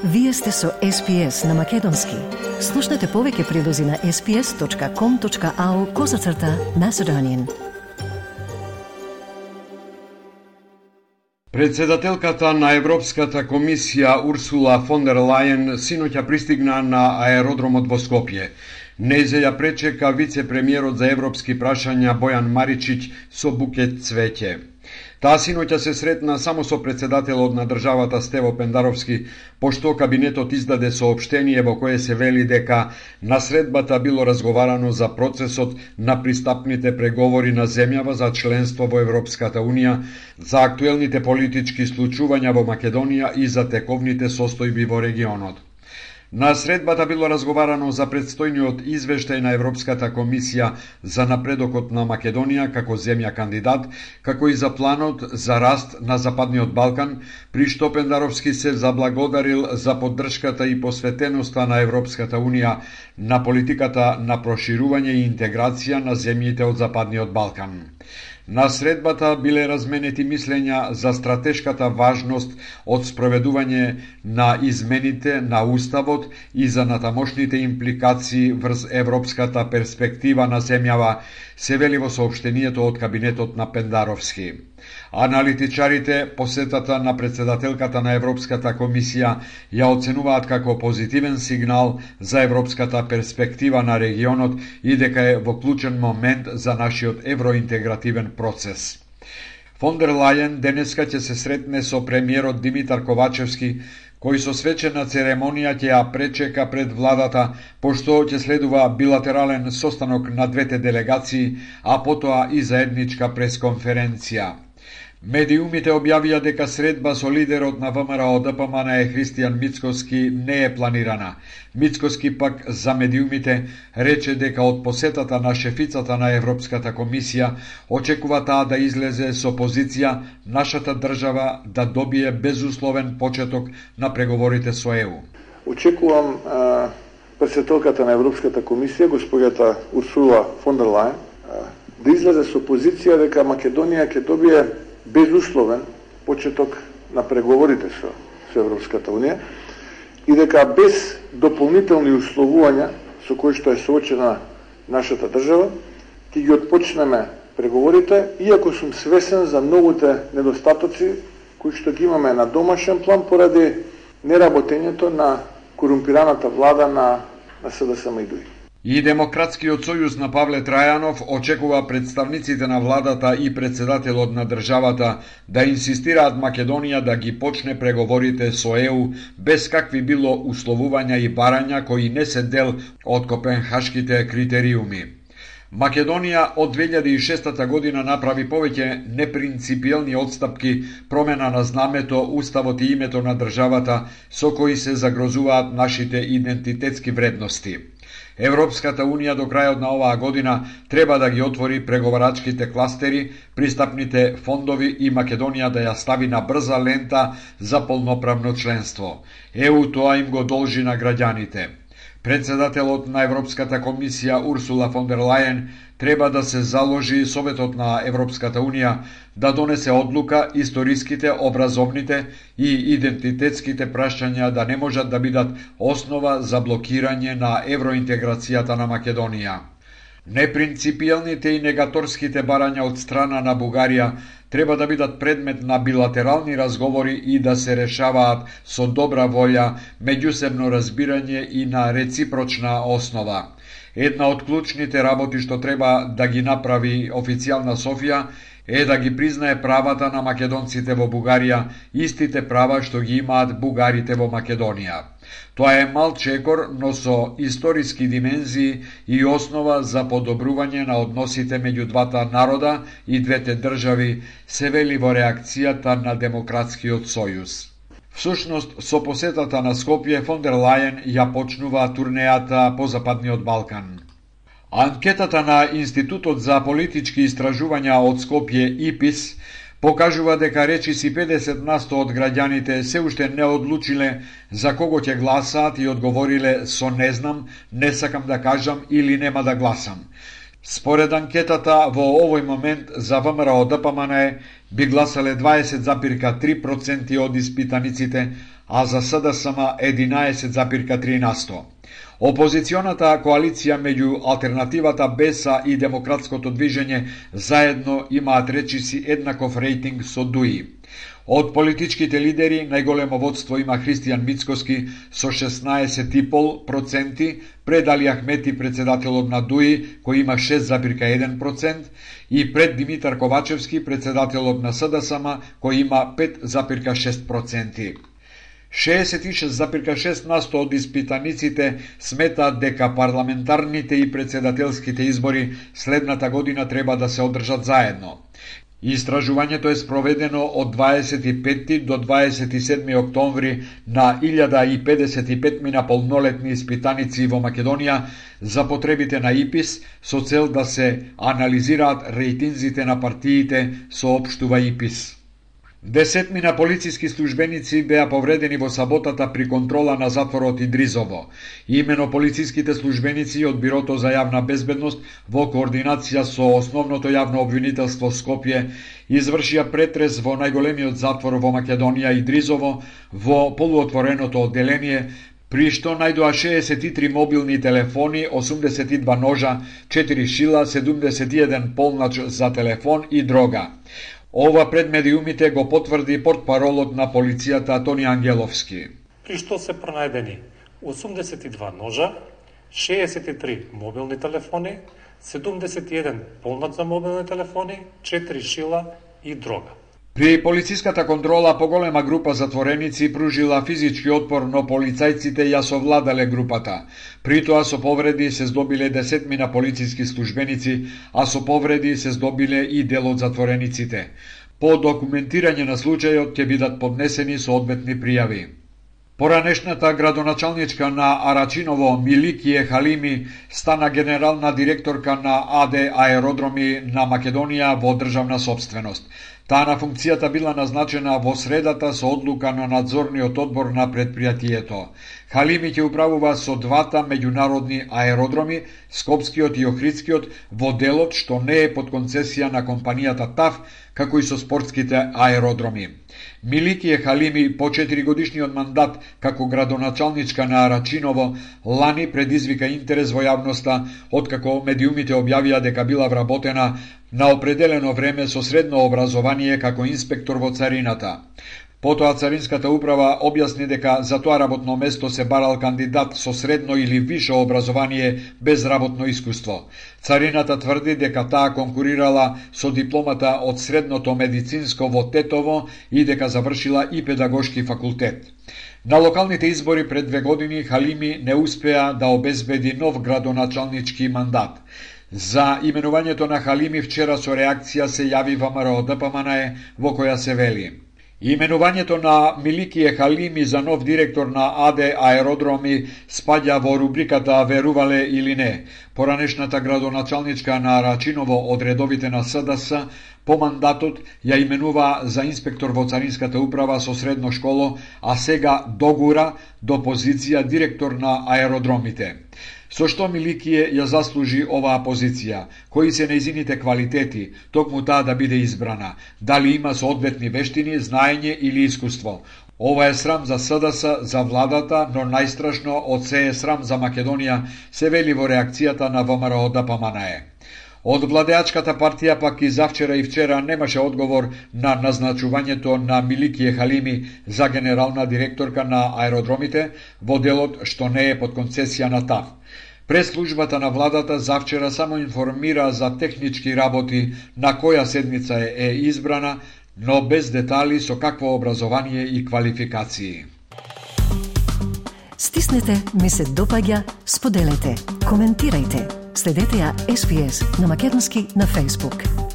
Вие сте со SPS на Македонски. Слушнете повеќе прилози на sps.com.au/Macedonian. Председателката на Европската комисија Урсула фон дер Лајен синоќа пристигна на аеродромот во Скопје. Нејзе ја пречека вице-премиерот за европски прашања Бојан Маричиќ со букет цвеќе. Таа синоќа се сретна само со председателот на државата Стево Пендаровски, пошто кабинетот издаде соопштение во кое се вели дека на средбата било разговарано за процесот на пристапните преговори на земјава за членство во Европската Унија, за актуелните политички случувања во Македонија и за тековните состојби во регионот. На средбата било разговарано за предстојниот извештај на Европската комисија за напредокот на Македонија како земја кандидат, како и за планот за раст на Западниот Балкан, при што Пендаровски се заблагодарил за поддршката и посветеноста на Европската Унија на политиката на проширување и интеграција на земјите од Западниот Балкан. На средбата биле разменети мислења за стратешката важност од спроведување на измените на Уставот и за натамошните импликации врз европската перспектива на земјава, се вели во соопштението од кабинетот на Пендаровски. Аналитичарите посетата на председателката на Европската комисија ја оценуваат како позитивен сигнал за европската перспектива на регионот и дека е во клучен момент за нашиот евроинтегративен процес. Фон дер Лајен денеска ќе се сретне со премиерот Димитар Ковачевски, кој со свечена церемонија ќе ја пречека пред владата, пошто ќе следува билатерален состанок на двете делегации, а потоа и заедничка пресконференција. Медиумите објавија дека средба со лидерот на ВМРО-ДПМН Христијан Мицкоски не е планирана. Мицкоски пак за медиумите рече дека од посетата на шефицата на Европската комисија очекува таа да излезе со позиција нашата држава да добие безусловен почеток на преговорите со ЕУ. Очекувам председателката на Европската комисија, госпоѓата Урсула фон дер Лајен, да излезе со позиција дека Македонија ќе добие безусловен почеток на преговорите со Европската Унија и дека без дополнителни условувања со кои што е соочена нашата држава, ќе ги отпочнеме преговорите, иако сум свесен за многуте недостатоци кои што ги имаме на домашен план поради неработењето на корумпираната влада на СДСМ и ДУИ. И Демократскиот сојуз на Павле Трајанов очекува представниците на владата и председателот на државата да инсистираат Македонија да ги почне преговорите со ЕУ без какви било условувања и барања кои не се дел од копенхашките критериуми. Македонија од 2006 година направи повеќе непринципиелни отстапки, промена на знамето, уставот и името на државата со кои се загрозуваат нашите идентитетски вредности. Европската Унија до крајот на оваа година треба да ги отвори преговарачките кластери, пристапните фондови и Македонија да ја стави на брза лента за полноправно членство. ЕУ тоа им го должи на граѓаните. Председателот на Европската комисија Урсула фон дер Лајен треба да се заложи Советот на Европската Унија да донесе одлука историските, образовните и идентитетските прашања да не можат да бидат основа за блокирање на евроинтеграцијата на Македонија. Непринципиелните и негаторските барања од страна на Бугарија треба да бидат предмет на билатерални разговори и да се решаваат со добра волја, меѓусебно разбирање и на реципрочна основа. Една од клучните работи што треба да ги направи официјална Софија е да ги признае правата на македонците во Бугарија, истите права што ги имаат бугарите во Македонија. Тоа е мал чекор, но со историски димензии и основа за подобрување на односите меѓу двата народа и двете држави, се вели во реакцијата на Демократскиот сојуз. Всушност, со посетата на Скопје, фон дер Лајен ја почнува турнејата по Западниот Балкан. Анкетата на Институтот за политички истражувања од Скопје ИПИС покажува дека речиси 50% од граѓаните се уште не одлучиле за кого ќе гласаат и одговориле со не знам, не сакам да кажам или нема да гласам. Според анкетата, во овој момент за ВМРО-ДПМН би гласале 20,3% од испитаниците, а за СДСМ 11,3%. Опозиционата коалиција меѓу Алтернативата, БЕСА и Демократското движење заедно имаат речиси еднаков рейтинг со ДУИ. Од политичките лидери најголемо водство има Христијан Мицкоски со 16,5%, пред Али Ахмети, председателот на ДУИ, кој има 6,1%, и пред Димитар Ковачевски, председателот на СДСМ, кој има 5,6%. 66,6% од испитаниците сметаат дека парламентарните и председателските избори следната година треба да се одржат заедно. Истражувањето е спроведено од 25 до 27 октомври на 1055 полнолетни испитаници во Македонија за потребите на ИПИС со цел да се анализираат рейтинзите на партиите, соопштува ИПИС. 10 полициски службеници беа повредени во саботата при контрола на затворот Идризово. Имено полициските службеници од Бирото за јавна безбедност во координација со Основното јавно обвинителство Скопје извршија претрес во најголемиот затвор во Македонија Идризово во полуотвореното одделение, при што најдоа 63 мобилни телефони, 82 ножа, 4 шила, 71 полнач за телефон и дрога. Ова пред медиумите го потврди портпаролот на полицијата Тони Ангеловски. При што се пронајдени 82 ножа, 63 мобилни телефони, 71 полнач за мобилни телефони, 4 шила и дрога. При полициската контрола поголема група затвореници пружила физички отпор, но полицајците ја совладале групата. При тоа со повреди се здобиле 10 полициски службеници, а со повреди се здобиле и дел од затворениците. По документирање на случајот ќе бидат поднесени соодветни пријави. Поранешната градоначалничка на Арачиново Миликије Халими стана генерална директорка на АД Аеродроми на Македонија во државна собственост. Таа на функцијата била назначена во средата со одлука на надзорниот одбор на предпријатието. Халими ќе управува со двата меѓународни аеродроми, Скопскиот и Охридскиот, во делот што не е под концесија на компанијата ТАФ, како и со спортските аеродроми. Миликије Халими по 4-годишниот мандат како градоначалничка на Арачиново лани предизвика интерес во јавноста, откако медиумите објавија дека била вработена на определено време со средно образование како инспектор во царината. Потоа Царинската управа објасни дека за тоа работно место се барал кандидат со средно или више образование без работно искуство. Царината тврди дека таа конкурирала со дипломата од средното медицинско во Тетово и дека завршила и педагошки факултет. На локалните избори пред 2 години Халими не успеа да обезбеди нов градоначалнички мандат. За именувањето на Халими вчера со реакција се јави ВМРО ДПМН во која се вели: именувањето на Миликије Халими за нов директор на АД Аеродроми спаѓа во рубриката верувале или не. Поранешната градоначалничка на Арачиново од редовите на СДС по мандатот ја именува за инспектор во Царинската управа со средно школо, а сега догура до позиција директор на аеродромите. Со што Миликије ја заслужи оваа позиција? Кои се нејзините квалитети, токму таа да биде избрана? Дали има соодветни вештини, знаење или искуство? Ова е срам за СДС, за владата, но најстрашно од се е срам за Македонија, се вели во реакцијата на ВМРО ДПМН. Од владеачката партија пак и завчера и вчера немаше одговор на назначувањето на Миликије Халими за генерална директорка на аеродромите во делот што не е под концесија на ТАФ. Прес-службата на владата завчера само информира за технички работи на која седница е избрана, но без детали со какво образование и квалификации. Стиснете, ми се допаѓа, споделете, коментирајте. Следете ја SPS на Македонски на Facebook.